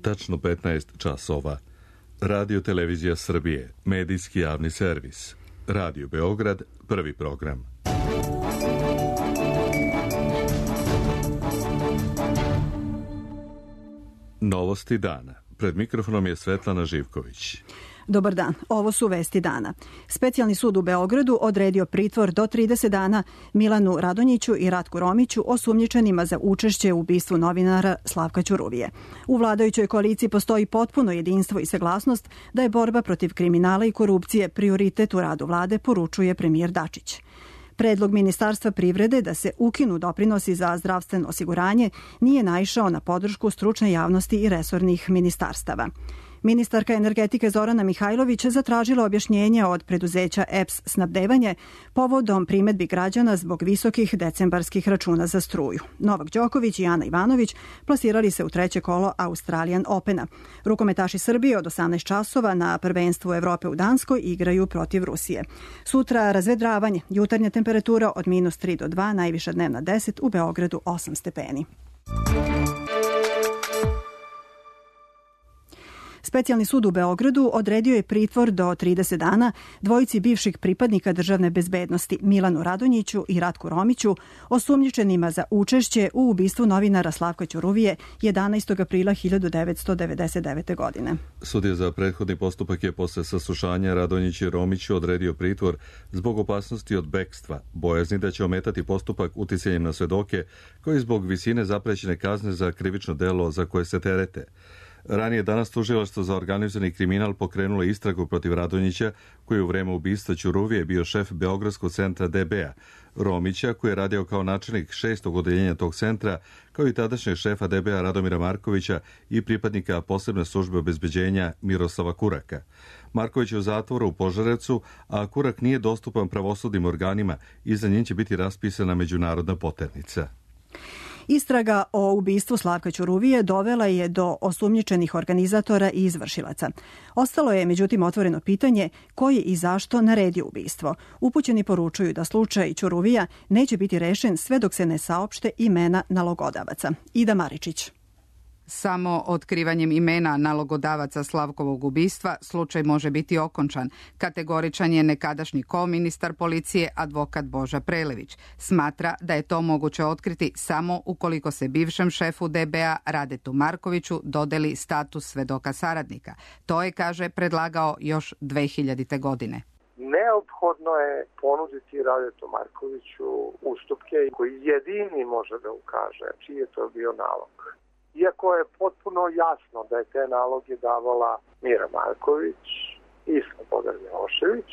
tačno 15 časova. Radio Televizija Srbije, medijski javni servis. Radio Beograd, prvi program. Novosti dana. Pred mikrofonom je Svetlana Živković. Dobar dan, ovo su vesti dana. Specijalni sud u Beogradu odredio pritvor do 30 dana Milanu Radonjiću i Ratku Romiću, osumnjičenima za učešće u ubistvu novinara Slavka Ćuruvije. U vladajućoj koaliciji postoji potpuno jedinstvo i saglasnost da je borba protiv kriminala i korupcije prioritet u radu vlade, poručuje premijer Dačić. Predlog Ministarstva privrede da se ukinu doprinosi za zdravstveno osiguranje nije naišao na podršku stručne javnosti i resornih ministarstava. Ministarka energetike Zorana Mihajlović zatražila objašnjenje od preduzeća EPS Snabdevanje povodom primedbi građana zbog visokih decembarskih računa za struju. Novak Đoković i Ana Ivanović plasirali se u treće kolo Australian Opena. Rukometaši Srbije od 18 časova na prvenstvu Evrope u Danskoj igraju protiv Rusije. Sutra razvedravanje, jutarnja temperatura od -3 do 2, najviša dnevna 10, u Beogradu 8 stepeni. Specijalni sud u Beogradu odredio je pritvor do 30 dana dvojici bivših pripadnika državne bezbednosti Milanu Radonjiću i Ratku Romiću, osumnjičenima za učešće u ubistvu novinara Slavka Ćuruvije 11. aprila 1999. godine. Sudija za prethodni postupak je posle saslušanja Radonjiću i Romiću odredio pritvor zbog opasnosti od bekstva, bojazni da će ometati postupak uticanjem na svedoke, koji zbog visine zaprećene kazne za krivično delo za koje se terete. Ranije danas tužilaštvo za organizovani kriminal pokrenulo istragu protiv Radonjića, koji je u vreme ubistva Ćuruvije bio šef Beogradskog centra DB-a, Romića, koji je radio kao načelnik 6. odeljenja tog centra, kao i tadašnjeg šefa DB-a Radomira Markovića i pripadnika posebne službe obezbeđenja Miroslava Kuraka. Marković je u zatvoru u Požarevcu, a Kurak nije dostupan pravosudnim organima i za njim će biti raspisana međunarodna poternica. Istraga o ubistvu Slavka Ćuruvije dovela je do osumnjičenih organizatora i izvršilaca. Ostalo je, međutim, otvoreno pitanje ko je i zašto naredio ubistvo. Upućeni poručuju da slučaj Ćuruvija neće biti rešen sve dok se ne saopšte imena nalogodavaca. Ida Maričić. Samo otkrivanjem imena nalogodavaca Slavkovog ubistva slučaj može biti okončan. Kategoričan je nekadašnji koministar policije advokat Boža Prelević. Smatra da je to moguće otkriti samo ukoliko se bivšem šefu DB-a Radetu Markoviću dodeli status svedoka saradnika. To je, kaže, predlagao još 2000. godine. Neophodno je ponuditi Radetu Markoviću ustupke koji jedini može da ukaže čiji je to bio nalog. Iako je potpuno jasno da je te naloge davala Mira Marković i Slobodan Milošević,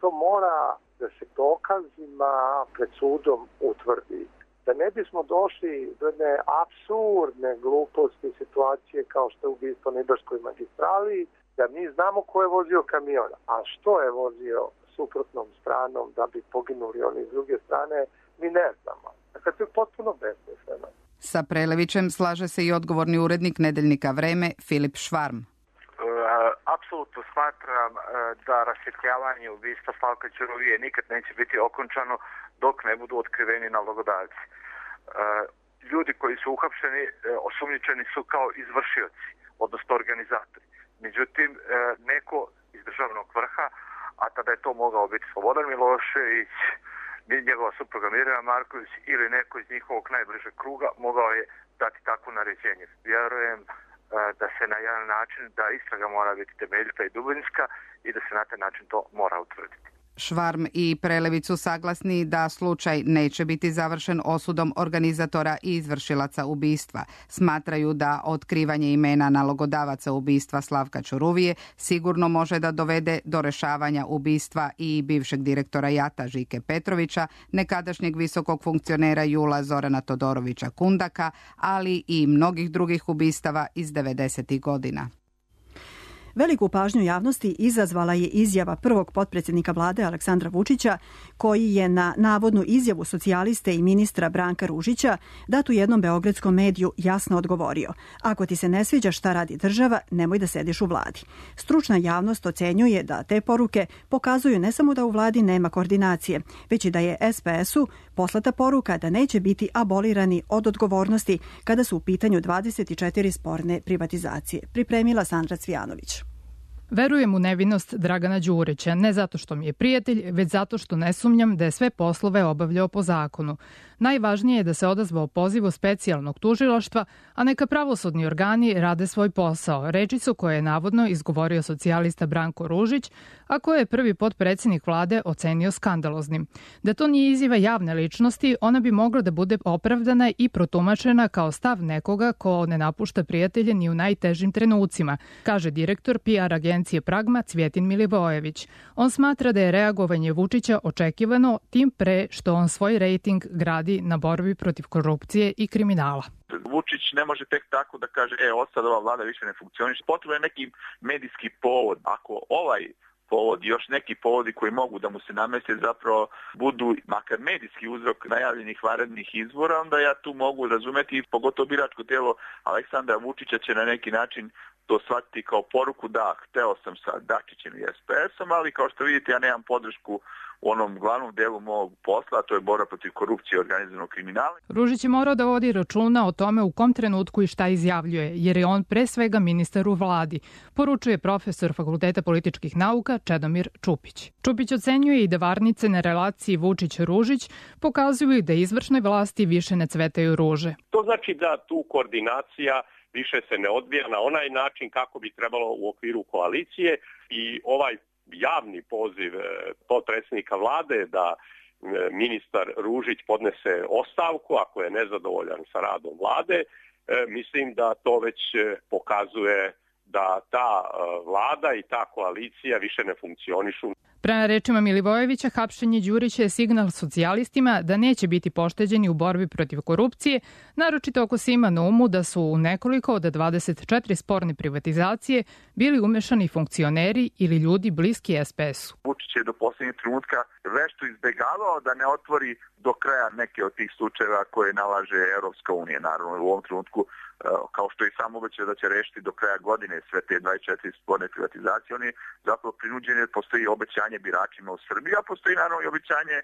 to mora da se dokazima pred sudom utvrdi. Da ne bismo došli do jedne apsurdne gluposti situacije kao što je ubistvo na Ibarskoj magistrali, da mi znamo ko je vozio kamion, a što je vozio suprotnom stranom da bi poginuli oni s druge strane, mi ne znamo. Dakle, to je potpuno besmisleno. Sa Prelevićem slaže se i odgovorni urednik nedeljnika Vreme Filip Švarm. Apsolutno smatram da rasvjetljavanje ubistva Slavka Ćuruvije nikad neće biti okončano dok ne budu otkriveni nalogodavci. Ljudi koji su uhapšeni, osumnjičeni su kao izvršioci, odnosno organizatori. Međutim, neko iz državnog vrha, a tada je to mogao biti Slobodan Milošević, njegova supruga Mirjana Marković ili neko iz njihovog najbližeg kruga, mogao je dati takvo naređenje. Vjerujem da se na jedan način, da istraga mora biti temeljita i dubinska i da se na taj način to mora utvrditi. Švarm i Prelević su saglasni da slučaj neće biti završen osudom organizatora i izvršilaca ubistva. Smatraju da otkrivanje imena nalogodavaca ubistva Slavka Ćuruvije sigurno može da dovede do rešavanja ubistva i bivšeg direktora JAT-a Žike Petrovića, nekadašnjeg visokog funkcionera JUL-a Zorana Todorovića Kundaka, ali i mnogih drugih ubistava iz 90. godina. Veliku pažnju javnosti izazvala je izjava prvog potpredsjednika vlade Aleksandra Vučića, koji je na navodnu izjavu socijaliste i ministra Branka Ružića dat u jednom beogradskom mediju jasno odgovorio: ako ti se ne sviđa šta radi država, nemoj da sediš u vladi. Stručna javnost ocenjuje da te poruke pokazuju ne samo da u vladi nema koordinacije, već i da je SPS-u poslata poruka da neće biti abolirani od odgovornosti kada su u pitanju 24 sporne privatizacije. Pripremila Sandra Cvijanović. Verujem u nevinost Dragana Đurića, ne zato što mi je prijatelj, već zato što ne sumnjam da je sve poslove obavljao po zakonu. Najvažnije je da se odazvao pozivu specijalnog tužilaštva, a neka pravosudni organi rade svoj posao, rečicu koje je navodno izgovorio socijalista Branko Ružić, a koje je prvi potpredsjednik vlade ocenio skandaloznim. Da to nije izjava javne ličnosti, ona bi mogla da bude opravdana i protumačena kao stav nekoga ko ne napušta prijatelje ni u najtežim trenucima, kaže direktor PR agencije Pragma Cvjetin Milivojević. On smatra da je reagovanje Vučića očekivano, tim pre što on svoj rejting gradi na borbi protiv korupcije i kriminala. Vučić ne može tek tako da kaže sad ova vlada više ne funkcioniše. Potreban je neki medijski povod. Ako ovaj povod i još neki povodi koji mogu da mu se nameste zapravo budu makar medijski uzrok najavljenih vanrednih izbora, onda ja tu mogu razumeti, pogotovo biračko tijelo Aleksandra Vučića će na neki način to shvatiti kao poruku da hteo sam sa Dačićem i SPS-om, ali kao što vidite ja nemam podršku u onom glavnom delu mog posla, a to je borba protiv korupcije i organizovanog kriminala. Ružić je morao da vodi računa o tome u kom trenutku i šta izjavljuje, jer je on pre svega ministar u vladi, poručuje profesor Fakulteta političkih nauka Čedomir Čupić. Čupić ocenjuje i da varnice na relaciji Vučić-Ružić pokazuju da izvršnoj vlasti više ne cvetaju ruže. To znači da tu koordinacija više se ne odvija na onaj način kako bi trebalo u okviru koalicije i ovaj javni poziv potpredsjednika vlade da ministar Ružić podnese ostavku ako je nezadovoljan sa radom vlade, mislim da to već pokazuje da ta vlada i ta koalicija više ne funkcionišu. Prema rečima Milivojevića, hapšenje Đurića je signal socijalistima da neće biti pošteđeni u borbi protiv korupcije, naročito ako se ima na umu da su u nekoliko od 24 sporne privatizacije bili umešani funkcioneri ili ljudi bliski SPS-u. Vučić je do posljednjeg trenutka vešto izbegavao da ne otvori do kraja neke od tih slučajeva koje nalaže Evropska unija. Naravno, u ovom trenutku, kao što i sam obećao da će rešiti do kraja godine sve te 24 sporne privatizacije, on je zapravo prinuđen jer postoji obećanje biračima u Srbiji, a postoji naravno i obećanje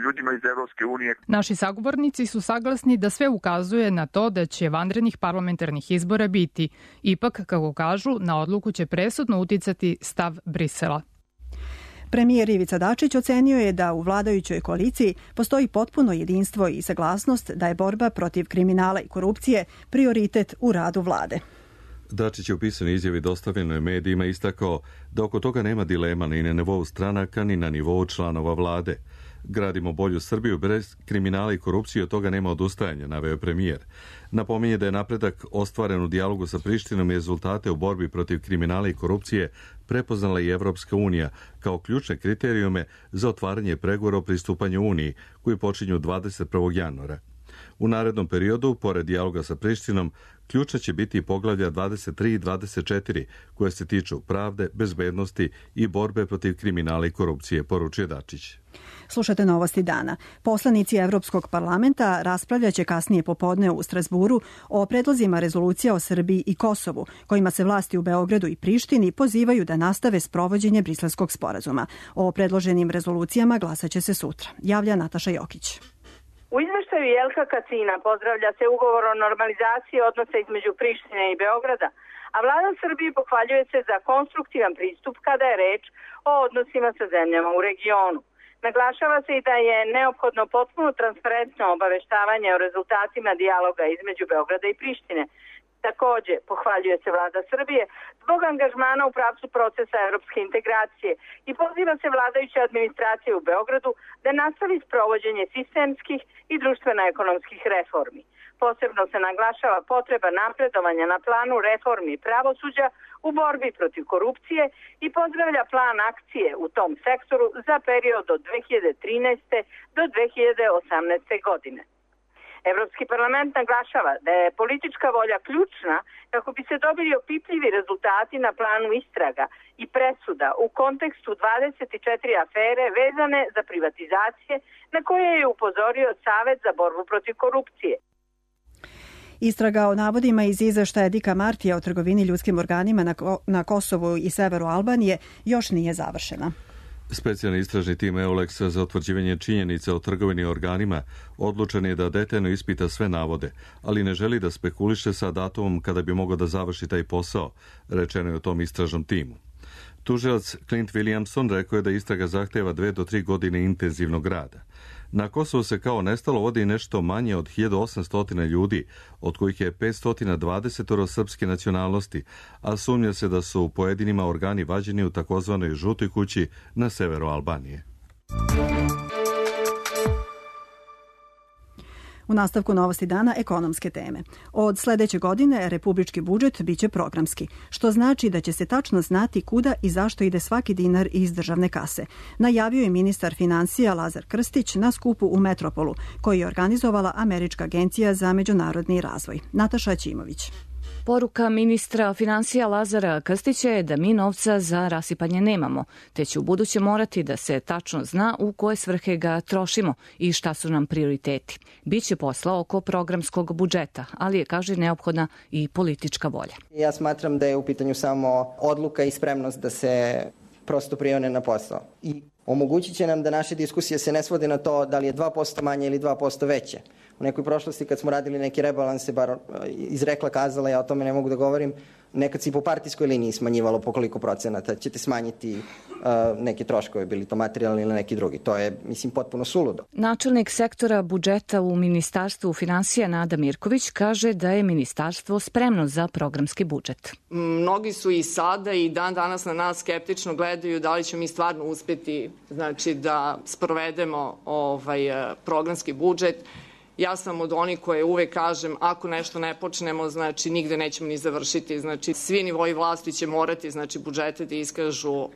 ljudima iz Evropske unije. Naši sagovornici su saglasni da sve ukazuje na to da će vanrednih parlamentarnih izbora biti. Ipak, kako kažu, na odluku će presudno uticati stav Brisela. Premijer Ivica Dačić ocenio je da u vladajućoj koaliciji postoji potpuno jedinstvo i saglasnost da je borba protiv kriminala i korupcije prioritet u radu vlade. Dačić je u pisanoj izjavi dostavljenoj medijima istakao da oko toga nema dilema ni na nivou stranaka ni na nivou članova vlade. Gradimo bolju Srbiju bez kriminala i korupcije, od toga nema odustajanja, naveo premijer. Napominje da je napredak ostvaren u dijalogu sa Prištinom i rezultate u borbi protiv kriminala i korupcije prepoznala i Evropska unija kao ključne kriterijume za otvaranje pregovora o pristupanju Uniji, koji počinju 21. januara. U narednom periodu, pored dijaloga sa Prištinom, ključna će biti i poglavlja 23 i 24, koje se tiču pravde, bezbednosti i borbe protiv kriminala i korupcije, poručuje Dačić. Slušate novosti dana. Poslanici Evropskog parlamenta raspravljaće kasnije popodne u Strasburu o predlozima rezolucija o Srbiji i Kosovu, kojima se vlasti u Beogradu i Prištini pozivaju da nastave sprovođenje Briselskog sporazuma. O predloženim rezolucijama glasaće se sutra. Javlja Nataša Jokić. U izveštaju Jelka Kacina pozdravlja se ugovor o normalizaciji odnosa između Prištine i Beograda, a vlada Srbije pohvaljuje se za konstruktivan pristup kada je reč o odnosima sa zemljama u regionu. Naglašava se i da je neophodno potpuno transparentno obaveštavanje o rezultatima dijaloga između Beograda i Prištine. Takođe, pohvaljuje se vlada Srbije zbog angažmana u pravcu procesa evropske integracije i poziva se vladajuća administracija u Beogradu da nastavi sprovođenje sistemskih i društveno-ekonomskih reformi. Posebno se naglašava potreba napredovanja na planu reformi pravosuđa u borbi protiv korupcije i pozdravlja plan akcije u tom sektoru za period od 2013. do 2018. godine. Evropski parlament naglašava da je politička volja ključna kako bi se dobili opipljivi rezultati na planu istraga i presuda u kontekstu 24 afere vezane za privatizacije na koje je upozorio Savet za borbu protiv korupcije. Istraga o navodima iz izveštaja Dika Martija o trgovini ljudskim organima na Kosovu i severu Albanije još nije završena. Specijalni istražni tim EULEX za utvrđivanje činjenica o trgovini organima odlučen je da detaljno ispita sve navode, ali ne želi da spekuliše sa datumom kada bi mogao da završi taj posao, rečeno je o tom istražnom timu. Tužilac Clint Williamson rekao je da istraga zahteva 2 do 3 godine intenzivnog rada. Na Kosovu se kao nestalo vodi nešto manje od 1800 ljudi, od kojih je 520 srpske nacionalnosti, a sumnja se da su pojedinima organi vađeni u takozvanoj žutoj kući na severu Albanije. U nastavku Novosti dana ekonomske teme. Od sledeće godine republički budžet biće programski, što znači da će se tačno znati kuda i zašto ide svaki dinar iz državne kase. Najavio je ministar finansija Lazar Krstić na skupu u Metropolu, koji je organizovala Američka agencija za međunarodni razvoj. Nataša Ćimović. Poruka ministra finansija Lazara Krstića je da mi novca za rasipanje nemamo, te će u buduće morati da se tačno zna u koje svrhe ga trošimo i šta su nam prioriteti. Biće posla oko programskog budžeta, ali je, kaže, neophodna i politička volja. Ja smatram da je u pitanju samo odluka i spremnost da se prosto prione na posao. I omogućit će nam da naše diskusije se ne svode na to da li je 2% manje ili 2% veće. U nekoj prošlosti kad smo radili neki rebalanse, bar izrekla kazala, ja o tome ne mogu da govorim, nekad se i po partijskoj liniji smanjivalo po koliko procenata ćete smanjiti neke troškove, bili to materijalni ili neki drugi. To je, mislim, potpuno suludo. Načelnik sektora budžeta u Ministarstvu finansija Nada Mirković kaže da je ministarstvo spremno za programski budžet. Mnogi su i sada i dan danas na nas skeptično gledaju da li ćemo mi stvarno uspeti, znači, da sprovedemo programski budžet. Ja sam od onih koje uvek kažem, ako nešto ne počnemo, znači nigde nećemo ni završiti. Znači svi nivoji vlasti će morati, znači, budžete da iskažu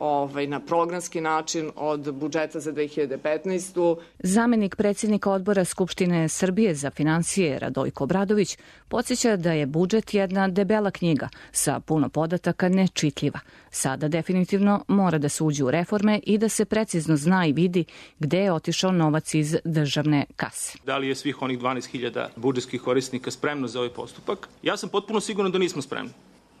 na programski način od budžeta za 2015. Zamenik predsjednika odbora Skupštine Srbije za finansije Radojko Obradović podsjeća da je budžet jedna debela knjiga sa puno podataka, nečitljiva. Sada definitivno mora da se uđe u reforme i da se precizno zna i vidi gde je otišao novac iz državne kase. Da li je svih onih 12.000 budžetskih korisnika spremno za ovaj postupak? Ja sam potpuno siguran da nismo spremni.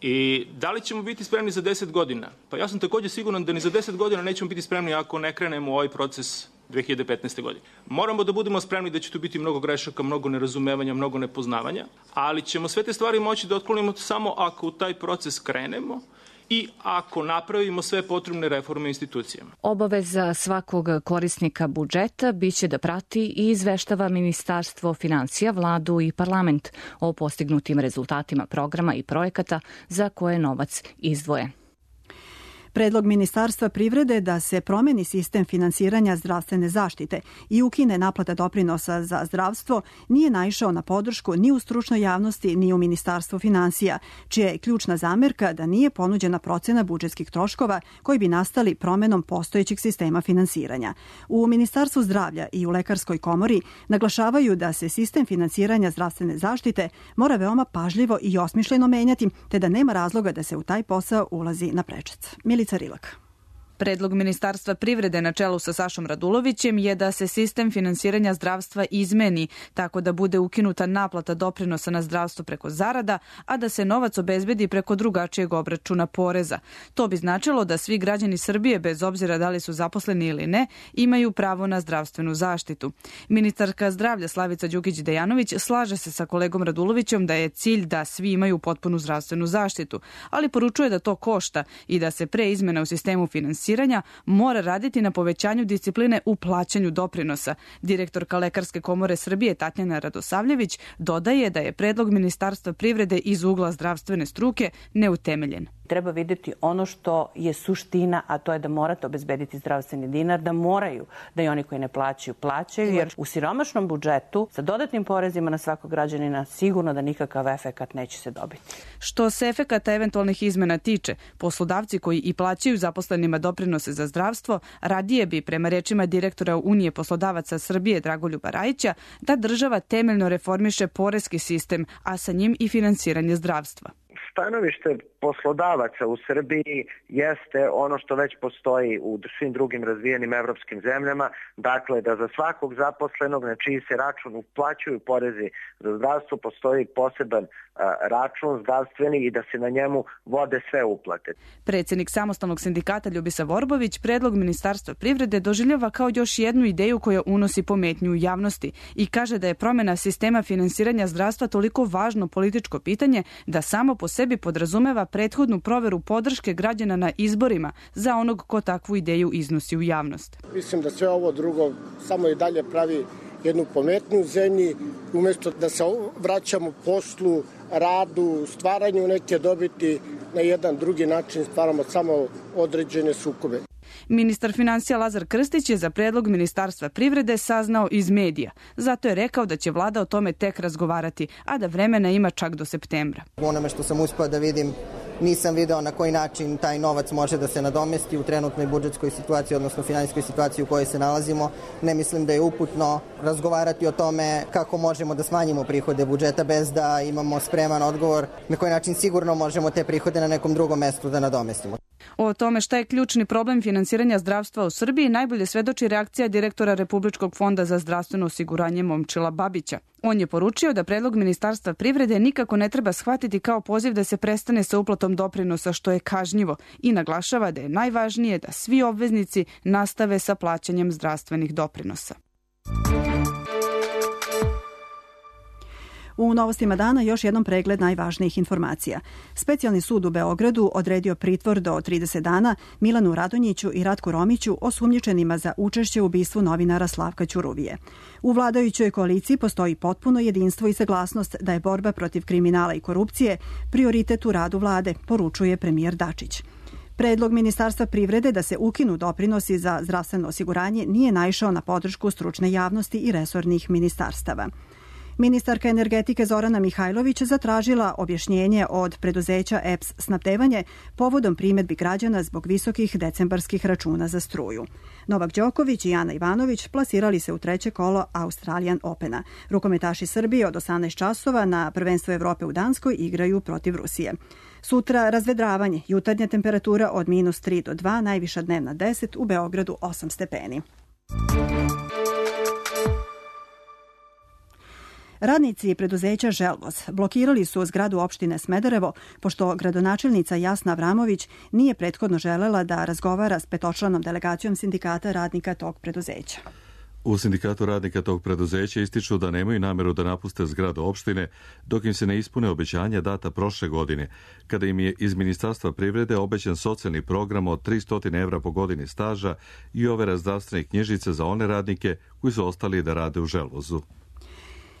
I da li ćemo biti spremni za 10 godina? Pa ja sam također siguran da ni za 10 godina nećemo biti spremni ako ne krenemo u ovaj proces 2015. godine. Moramo da budemo spremni da će tu biti mnogo grešaka, mnogo nerazumevanja, mnogo nepoznavanja, ali ćemo sve te stvari moći da otklonimo samo ako u taj proces krenemo i ako napravimo sve potrebne reforme institucijama. Obaveza svakog korisnika budžeta biće da prati i izveštava Ministarstvo finansija, vladu i parlament o postignutim rezultatima programa i projekata za koje je novac izdvojen. Predlog Ministarstva privrede da se promeni sistem finansiranja zdravstvene zaštite i ukine naplata doprinosa za zdravstvo nije naišao na podršku ni u stručnoj javnosti ni u Ministarstvu finansija, čija je ključna zamerka da nije ponuđena procena budžetskih troškova koji bi nastali promenom postojećeg sistema finansiranja. U Ministarstvu zdravlja i u Lekarskoj komori naglašavaju da se sistem finansiranja zdravstvene zaštite mora veoma pažljivo i osmišljeno menjati, te da nema razloga da se u taj posao ulazi na prečac. Rilak. Predlog Ministarstva privrede na čelu sa Sašom Radulovićem je da se sistem finansiranja zdravstva izmeni tako da bude ukinuta naplata doprinosa na zdravstvo preko zarada, a da se novac obezbedi preko drugačijeg obračuna poreza. To bi značilo da svi građani Srbije, bez obzira da li su zaposleni ili ne, imaju pravo na zdravstvenu zaštitu. Ministarka zdravlja Slavica Đukić-Dejanović slaže se sa kolegom Radulovićem da je cilj da svi imaju potpunu zdravstvenu zaštitu, ali poručuje da to košta i da se pre izmena u sistemu finansiranja mora raditi na povećanju discipline u plaćanju doprinosa. Direktorka Lekarske komore Srbije Tatjana Radosavljević dodaje da je predlog Ministarstva privrede iz ugla zdravstvene struke neutemeljen. Treba vidjeti ono što je suština, a to je da morate obezbediti zdravstveni dinar, da moraju da i oni koji ne plaćaju, jer u siromašnom budžetu sa dodatnim porezima na svakog građanina sigurno da nikakav efekat neće se dobiti. Što se efekata eventualnih izmena tiče, poslodavci koji i plaćaju zaposlenima doprinose za zdravstvo radije bi, prema rečima direktora Unije poslodavaca Srbije Dragoljuba Rajića, da država temeljno reformiše poreski sistem, a sa njim i finansiranje zdravstva. Stanovište poslodavaca u Srbiji jeste ono što već postoji u svim drugim razvijenim evropskim zemljama, dakle da za svakog zaposlenog na čiji se račun uplaćuju porezi za zdravstvo postoji poseban račun zdravstveni i da se na njemu vode sve uplate. Predsjednik samostalnog sindikata Ljubisa Vorbović predlog Ministarstva privrede doživljava kao još jednu ideju koja unosi pometnju u javnosti i kaže da je promjena sistema finansiranja zdravstva toliko važno političko pitanje da samo po sebi podrazumeva prethodnu proveru podrške građana na izborima za onog ko takvu ideju iznosi u javnost. Mislim da sve ovo drugo samo i dalje pravi jednu pometnju u zemlji, umjesto da se vraćamo poslu, radu, stvaranju neke dobiti, na jedan drugi način stvaramo samo određene sukobe. Ministar financija Lazar Krstić je za predlog Ministarstva privrede saznao iz medija. Zato je rekao da će vlada o tome tek razgovarati, a da vremena ima čak do septembra. U onome što sam uspeo da vidim, nisam video na koji način taj novac može da se nadomesti u trenutnoj budžetskoj situaciji, odnosno finansijskoj situaciji u kojoj se nalazimo. Ne mislim da je uputno razgovarati o tome kako možemo da smanjimo prihode budžeta bez da imamo spreman odgovor na koji način sigurno možemo te prihode na nekom drugom mestu da nadomestimo. O tome šta je ključni problem finansiranja zdravstva u Srbiji najbolje svedoči reakcija direktora Republičkog fonda za zdravstveno osiguranje Momčila Babića. On je poručio da predlog Ministarstva privrede nikako ne treba shvatiti kao poziv da se prestane sa uplatom doprinosa, što je kažnjivo, i naglašava da je najvažnije da svi obveznici nastave sa plaćanjem zdravstvenih doprinosa. U novostima dana još jednom pregled najvažnijih informacija. Specijalni sud u Beogradu odredio pritvor do 30 dana Milanu Radonjiću i Ratku Romiću, osumnjičenima za učešće u ubistvu novinara Slavka Ćuruvije. U vladajućoj koaliciji postoji potpuno jedinstvo i saglasnost da je borba protiv kriminala i korupcije prioritet u radu vlade, poručuje premijer Dačić. Predlog Ministarstva privrede da se ukinu doprinosi za zdravstveno osiguranje nije naišao na podršku stručne javnosti i resornih ministarstava. Ministarka energetike Zorana Mihajlović zatražila objašnjenje od preduzeća EPS snabdevanje povodom primedbi građana zbog visokih decembarskih računa za struju. Novak Đoković i Ana Ivanović plasirali se u treće kolo Australian Opena. Rukometaši Srbije od 18 časova na prvenstvu Evrope u Danskoj igraju protiv Rusije. Sutra razvedravanje, jutarnja temperatura od -3 do 2, najviša dnevna 10, u Beogradu 8 stepeni. Radnici preduzeća Želvoz blokirali su zgradu opštine Smederevo, pošto gradonačelnica Jasna Avramović nije prethodno želela da razgovara s petočlanom delegacijom sindikata radnika tog preduzeća. U sindikatu radnika tog preduzeća ističu da nemaju nameru da napuste zgradu opštine dok im se ne ispune obećanja data prošle godine, kada im je iz Ministarstva privrede obećan socijalni program od 300 evra po godini staža i overa zdravstvenih knjižica za one radnike koji su ostali da rade u Želvozu.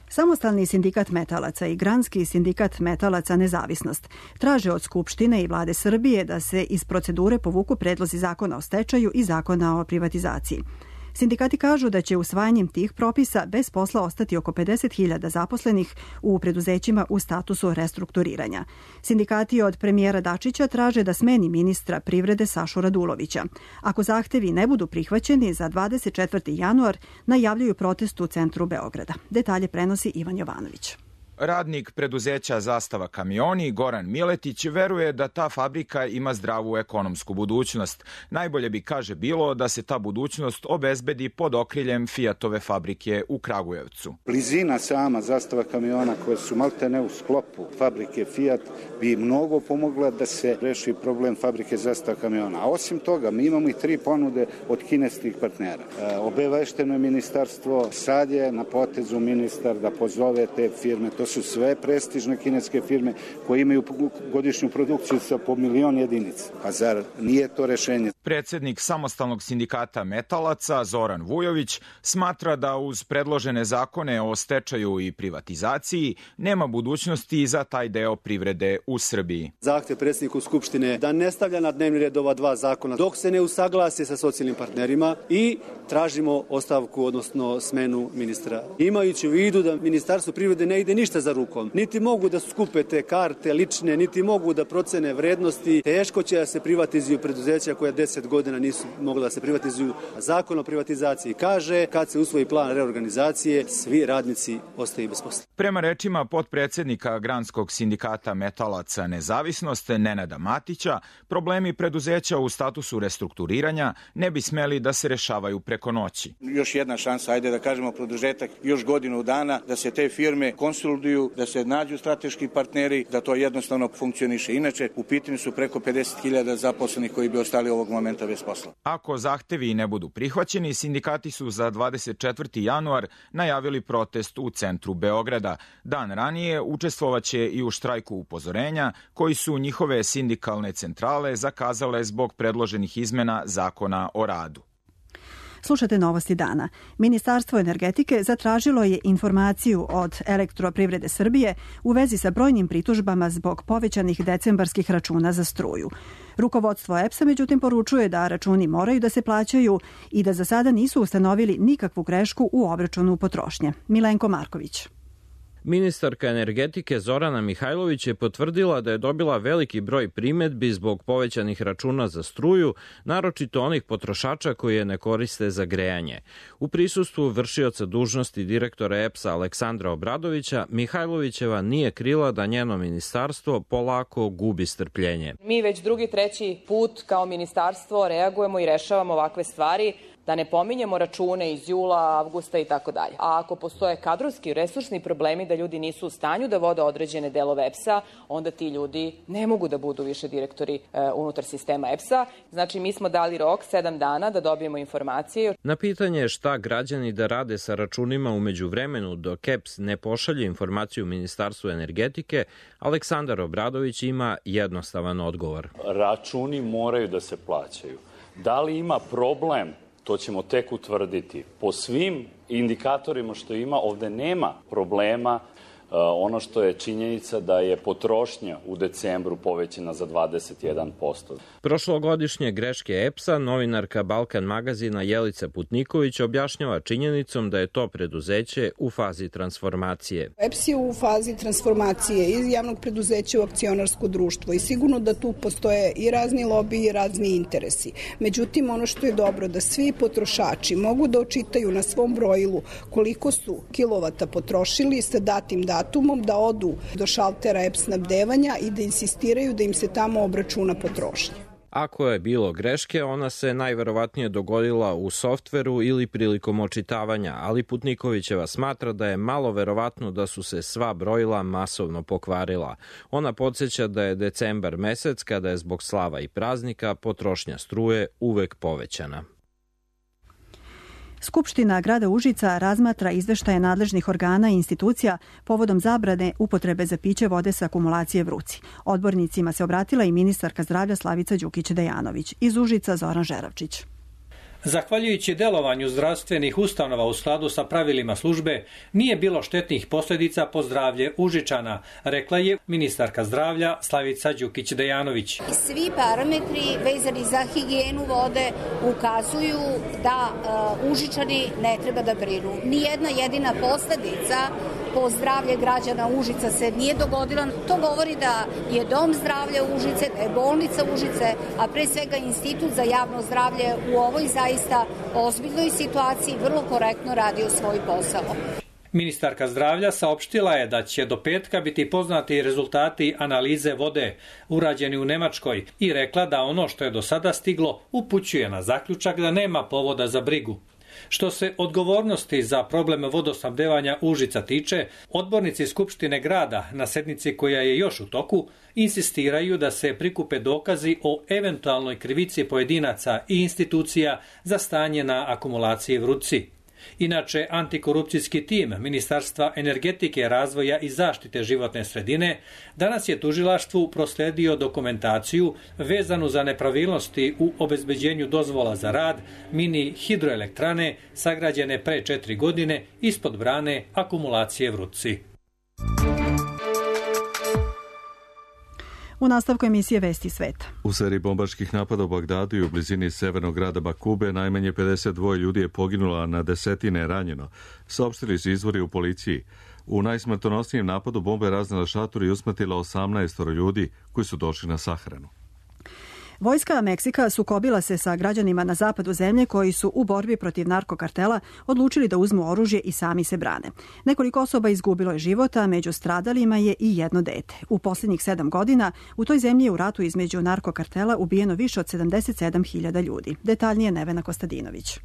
Samostalni sindikat metalaca i Granski sindikat metalaca Nezavisnost traže od Skupštine i vlade Srbije da se iz procedure povuku predlozi zakona o stečaju i zakona o privatizaciji. Sindikati kažu da će usvajanjem tih propisa bez posla ostati oko 50.000 zaposlenih u preduzećima u statusu restrukturiranja. Sindikati od premijera Dačića traže da smeni ministra privrede Sašu Radulovića. Ako zahtevi ne budu prihvaćeni, za 24. januar najavljuju protest u centru Beograda. Detalje prenosi Ivan Jovanović. Radnik preduzeća Zastava kamioni Goran Miletić veruje da ta fabrika ima zdravu ekonomsku budućnost. Najbolje bi, kaže, bilo da se ta budućnost obezbedi pod okriljem Fiatove fabrike u Kragujevcu. Blizina sama Zastava kamiona koje su maltene u sklopu fabrike Fiat bi mnogo pomogla da se reši problem fabrike Zastava kamiona. A osim toga, mi imamo i 3 ponude od kineskih partnera. Obavešteno je ministarstvo, sad je na potezu ministar da pozove te firme. To su sve prestižne kineske firme koje imaju godišnju produkciju sa po 1.000.000 jedinica. Pa zar nije to rešenje? Predsjednik Samostalnog sindikata metalaca Zoran Vujović smatra da uz predložene zakone o stečaju i privatizaciji nema budućnosti za taj deo privrede u Srbiji. Zahtev predsjedniku Skupštine da ne stavlja na dnevni red ova dva zakona dok se ne usaglasi sa socijalnim partnerima i tražimo ostavku, odnosno smenu ministra. Imajući u vidu da Ministarstvo privrede ne ide ništa za rukom, niti mogu da skupe te karte lične, niti mogu da procene vrednosti, teško će da se privatizuju preduzeća koja 10 godina nisu mogla da se privatizuju. Zakon o privatizaciji kaže kad se usvoji plan reorganizacije, svi radnici ostaju bez posla. Prema rečima potpredsjednika Granskog sindikata metalaca Nezavisnost Nenada Matića, problemi preduzeća u statusu restrukturiranja ne bi smeli da se rešavaju preko noći. Još jedna šansa, ajde da kažemo produžetak još godinu dana, da se te firme konsoliduju, da se nađu strateški partneri, da to jednostavno funkcioniše. Inače, u pitanju su preko 50.000 zaposlenih koji bi ostali ovog momenta bez posla. Ako zahtevi ne budu prihvaćeni, sindikati su za 24. januar najavili protest u centru Beograda. Dan ranije učestvovaće i u štrajku upozorenja koji su njihove sindikalne centrale zakazale zbog predloženih izmena Zakona o radu. Slušate Novosti dana. Ministarstvo energetike zatražilo je informaciju od Elektroprivrede Srbije u vezi sa brojnim pritužbama zbog povećanih decembarskih računa za struju. Rukovodstvo EPS-a međutim poručuje da računi moraju da se plaćaju i da za sada nisu ustanovili nikakvu grešku u obračunu potrošnje. Milenko Marković. Ministarka energetike Zorana Mihajlović je potvrdila da je dobila veliki broj primedbi zbog povećanih računa za struju, naročito onih potrošača koji je ne koriste za grejanje. U prisustvu vršioca dužnosti direktora EPS-a Aleksandra Obradovića, Mihajlovićeva nije krila da njeno ministarstvo polako gubi strpljenje. Mi već drugi, treći put kao ministarstvo reagujemo i rešavamo ovakve stvari. Da ne pominjemo račune iz jula, avgusta i tako dalje. A ako postoje kadrovski i resursni problemi da ljudi nisu u stanju da vode određene delove EPS-a, onda ti ljudi ne mogu da budu više direktori unutar sistema EPS-a. Znači, mi smo dali rok 7 dana da dobijemo informacije. Na pitanje šta građani da rade sa računima u međuvremenu dok EPS ne pošalje informaciju Ministarstvu energetike, Aleksandar Obradović ima jednostavan odgovor. Računi moraju da se plaćaju. Da li ima problem? To ćemo tek utvrditi. Po svim indikatorima što ima, ovde nema problema. Ono što je činjenica da je potrošnja u decembru povećana za 21%. Prošlogodišnje greške EPS-a novinarka Balkan magazina Jelica Putniković objašnjava činjenicom da je to preduzeće u fazi transformacije. EPS je u fazi transformacije iz javnog preduzeća u akcionarsko društvo i sigurno da tu postoje i razni lobiji i razni interesi. Međutim, ono što je dobro da svi potrošači mogu da očitaju na svom brojilu koliko su kilovata potrošili sa datim datumom, da odu do šaltera EPS snabdevanja i da insistiraju da im se tamo obračuna potrošnja. Ako je bilo greške, ona se najverovatnije dogodila u softveru ili prilikom očitavanja, ali Putnikovićeva smatra da je malo verovatno da su se sva brojila masovno pokvarila. Ona podsjeća da je decembar mesec, kada je zbog slava i praznika potrošnja struje uvek povećana. Skupština grada Užica razmatra izveštaje nadležnih organa i institucija povodom zabrane upotrebe za piće vode sa akumulacije Vruci. Odbornicima se obratila i ministarka zdravlja Slavica Đukić-Dejanović. Iz Užica Zoran Žeravčić. Zahvaljujući delovanju zdravstvenih ustanova u skladu sa pravilima službe, nije bilo štetnih posljedica po zdravlje Užičana, rekla je ministarka zdravlja Slavica Đukić-Dejanović. Svi parametri vezani za higijenu vode ukazuju da Užičani ne treba da brinu. Nijedna jedina posljedica po zdravlje građana Užica se nije dogodila. To govori da je Dom zdravlja Užice, da je bolnica Užice, a pre svega Institut za javno zdravlje u ovoj zaista ozbiljnoj situaciji vrlo korektno radio svoj posao. Ministarka zdravlja saopštila je da će do petka biti poznati rezultati analize vode urađeni u Nemačkoj i rekla da ono što je do sada stiglo upućuje na zaključak da nema povoda za brigu. Što se odgovornosti za problem vodosnabdevanja Užica tiče, odbornici Skupštine grada na sednici koja je još u toku insistiraju da se prikupe dokazi o eventualnoj krivici pojedinaca i institucija za stanje na akumulaciji Vruci. Inače, antikorupcijski tim Ministarstva energetike, razvoja i zaštite životne sredine danas je tužilaštvu prosledio dokumentaciju vezanu za nepravilnosti u obezbeđenju dozvola za rad mini hidroelektrane sagrađene pre 4 godine ispod brane akumulacije Vrutci. U nastavku emisije Vesti sveta. U seriji bombaških napada u Bagdadu i u blizini severnog grada Bakube najmanje 52 ljudi je poginulo, a na desetine je ranjeno, saopštili su izvori u policiji. U najsmrtonosnijem napadu bomba je raznela šator i usmrtila 18 ljudi koji su došli na sahranu. Vojska Meksika sukobila se sa građanima na zapadu zemlje koji su u borbi protiv narkokartela odlučili da uzmu oružje i sami se brane. Nekoliko osoba izgubilo je života, među stradalima je i jedno dete. U posljednjih 7 godina u toj zemlji je u ratu između narkokartela ubijeno više od 77.000 ljudi. Detaljnije Nevena Kostadinović.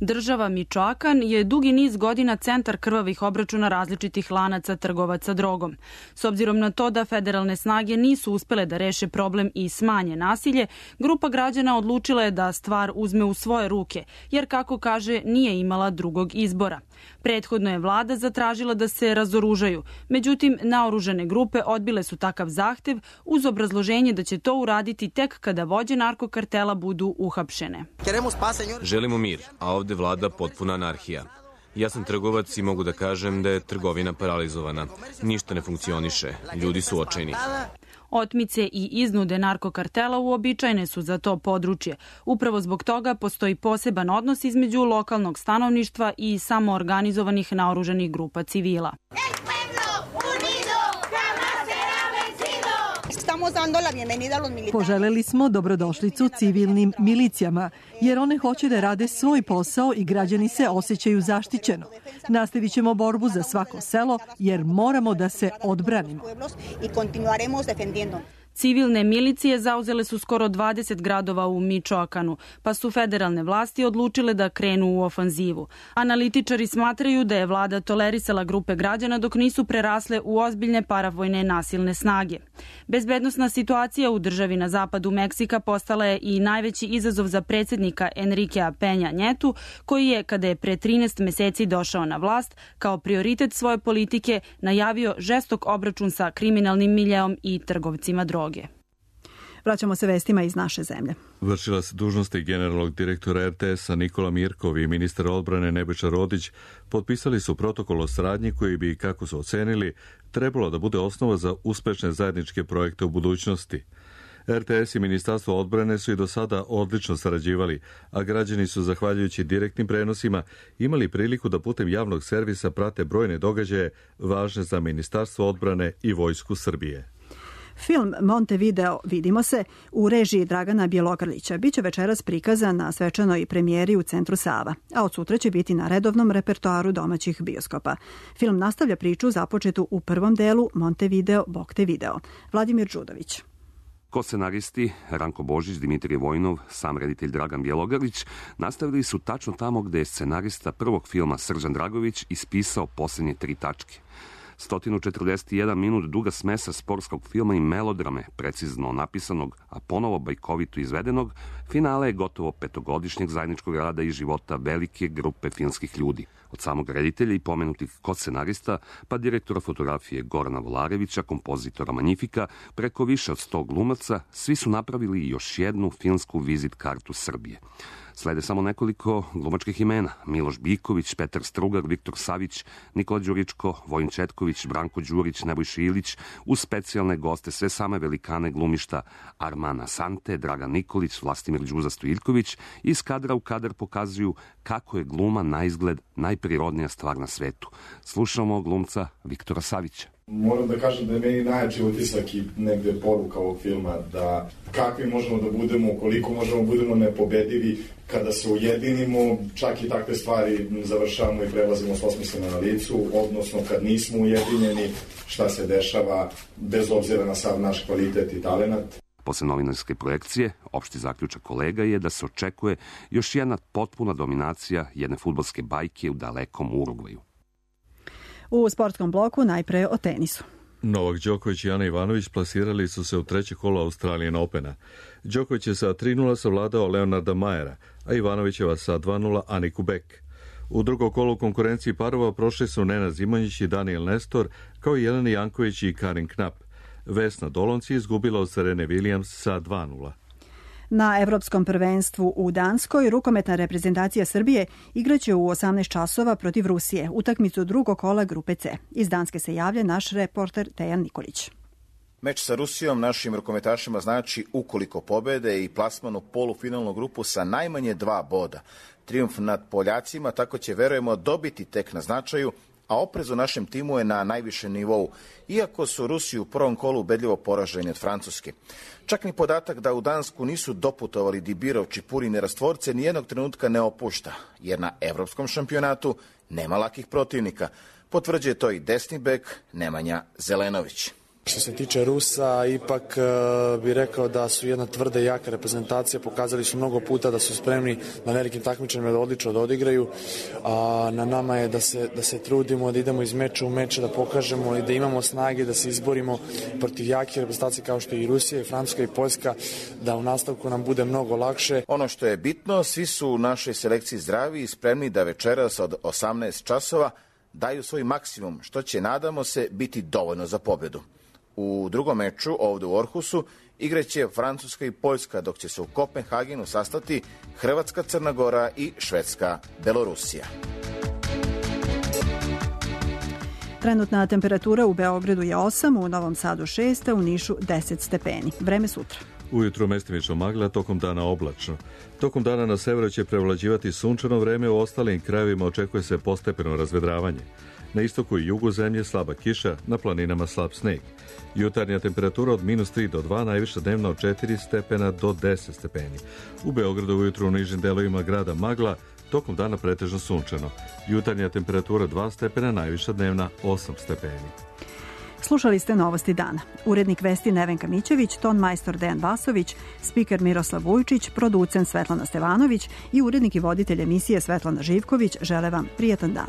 Država Mičoakan je dugi niz godina centar krvavih obračuna različitih lanaca trgovaca drogom. S obzirom na to da federalne snage nisu uspele da reše problem i smanje nasilje, grupa građana odlučila je da stvar uzme u svoje ruke, jer kako kaže nije imala drugog izbora. Prethodno je vlada zatražila da se razoružaju, međutim naoružane grupe odbile su takav zahtev uz obrazloženje da će to uraditi tek kada vođe narkokartela budu uhapšene. Želimo mir, a ovde vlada potpuna anarhija. Ja sam trgovac i mogu da kažem da je trgovina paralizovana. Ništa ne funkcioniše, ljudi su očajni. Otmice i iznude narkokartela uobičajene su za to područje. Upravo zbog toga postoji poseban odnos između lokalnog stanovništva i samoorganizovanih naoružanih grupa civila. Poželeli smo dobrodošlicu civilnim milicijama, jer one hoće da rade svoj posao i građani se osjećaju zaštićeno. Nastavit ćemo borbu za svako selo, jer moramo da se odbranimo. Civilne milicije zauzele su skoro 20 gradova u Mičoakanu, pa su federalne vlasti odlučile da krenu u ofanzivu. Analitičari smatraju da je vlada tolerisala grupe građana dok nisu prerasle u ozbiljne paravojne nasilne snage. Bezbednosna situacija u državi na zapadu Meksika postala je i najveći izazov za predsjednika Enriquea Peña Nietu, koji je, kada je pre 13 meseci došao na vlast, kao prioritet svoje politike najavio žestok obračun sa kriminalnim miljeom i trgovcima droge. Vraćamo se vestima iz naše zemlje. Vršilac dužnosti generalnog direktora RTS-a Nikola Mirkov i ministar odbrane Nebojša Rodić potpisali su protokol o saradnji koji bi, kako su ocenili, trebalo da bude osnova za uspešne zajedničke projekte u budućnosti. RTS i Ministarstvo odbrane su i do sada odlično sarađivali, a građani su, zahvaljujući direktnim prenosima, imali priliku da putem javnog servisa prate brojne događaje važne za Ministarstvo odbrane i Vojsku Srbije. Film Montevideo Vidimo se u režiji Dragana Bjelogrlića biće večeras prikazan na svečanoj premijeri u Centru Sava, a od sutra će biti na redovnom repertoaru domaćih bioskopa. Film nastavlja priču započetu u prvom delu Montevideo Bog te video. Vladimir Đudović. Ko-scenaristi Ranko Božić, Dimitrije Vojnov, sam reditelj Dragan Bjelogrlić nastavili su tačno tamo gde je scenarista prvog filma Srđan Dragović ispisao posljednje 3 tačke. 141 minut duga smesa sportskog filma i melodrame, precizno napisanog, a ponovo bajkovito izvedenog, finale je gotovo 5-godišnjeg zajedničkog rada i života velike grupe filmskih ljudi. Od samog reditelja i pomenutih ko-scenarista, pa direktora fotografije Gorana Volarevića, kompozitora Magnifika, preko više od 100 glumaca, svi su napravili još jednu filmsku vizit kartu Srbije. Slede samo nekoliko glumačkih imena: Miloš Biković, Petar Strugar, Viktor Savić, Nikola Đuričko, Vojin Četković, Branko Đurić, Nebojša Ilić, uz specijalne goste sve same velikane glumišta Armana Sante, Dragan Nikolić, Vlastimir Đuza Stojiljković, iz kadra u kadar pokazuju kako je gluma na izgled najprirodnija stvar na svetu. Slušamo glumca Viktora Savića. Moram da kažem da je meni najjači utisak i negde poruka ovog filma, da kakvi možemo da budemo, koliko možemo budemo nepobedivi kada se ujedinimo, čak i takve stvari završavamo i prelazimo s osmisleno na licu, odnosno kad nismo ujedinjeni, šta se dešava bez obzira na sav naš kvalitet i talenat. Posle novinarske projekcije, opšti zaključak kolega je da se očekuje još jedna potpuna dominacija jedne fudbalske bajke u dalekom Urugvaju. U sportskom bloku najpre o tenisu. Novak Đoković i Ana Ivanović plasirali su se u treće kolo Australian Opena. Đoković je sa 3-0 savladao Leonarda Majera, a Ivanovićeva sa 2-0 Aniku Beck. U drugom kolu konkurenciji parova prošli su Nenad Zimonjić i Daniel Nestor, kao i Jelena Janković i Karin Knap. Vesna Dolonci izgubila od Serene Williams sa 2:0. Na Evropskom prvenstvu u Danskoj rukometna reprezentacija Srbije igraće u 18 časova protiv Rusije, utakmicu drugog kola grupe C. Iz Danske se javlja naš reporter Tejan Nikolić. Meč sa Rusijom našim rukometašima znači, ukoliko pobede, i plasman u polufinalnu grupu sa najmanje 2 boda. Trijumf nad Poljacima tako će, verujemo, dobiti tek na značaju, a oprez u našem timu je na najvišem nivou, iako su Rusi u prvom kolu ubedljivo poraženi od Francuske. Čak ni podatak da u Dansku nisu doputovali Dibirov, Čipurin i Rastvorce nijednog trenutka ne opušta, jer na evropskom šampionatu nema lakih protivnika. Potvrđuje to i desni bek Nemanja Zelenović. Što se tiče Rusa, ipak bih rekao da su jedna tvrda i jaka reprezentacija. Pokazali su mnogo puta da su spremni na velikim takmičenjima da odlično da odigraju. A na nama je da se trudimo, da idemo iz meča u meč, da pokažemo i da imamo snage da se izborimo protiv jake reprezentacije kao što je i Rusija, i Francuska, i Poljska, da u nastavku nam bude mnogo lakše. Ono što je bitno, svi su u našoj selekciji zdravi i spremni da večeras od 18 časova daju svoj maksimum, što će, nadamo se, biti dovoljno za pobedu. U drugom meču, ovde u Orhusu, igraće Francuska i Poljska, dok će se u Kopenhagenu sastati Hrvatska, Crna Gora i Švedska, Belorusija. Trenutna temperatura u Beogradu je 8, u Novom Sadu 6, a u Nišu 10 stepeni. Vreme sutra. Ujutru mestimično magla, tokom dana oblačno. Tokom dana na severu će prevlađivati sunčano vreme, u ostalim krajevima očekuje se postepeno razvedravanje. Na istoku i jugu zemlje slaba kiša, na planinama slab sneg. Jutarnja temperatura od -3 do 2, najviša dnevna od 4 stepena do 10 stepeni. U Beogradu ujutru u nižim delovima grada magla, tokom dana pretežno sunčano. Jutarnja temperatura 2 stepena, najviša dnevna 8 stepeni. Slušali ste Novosti dana. Urednik vesti Nevenka Mićević, ton majstor Dejan Vasović, spiker Miroslav Vujčić, producent Svetlana Stevanović i urednik i voditelj emisije Svetlana Živković žele vam prijatan dan.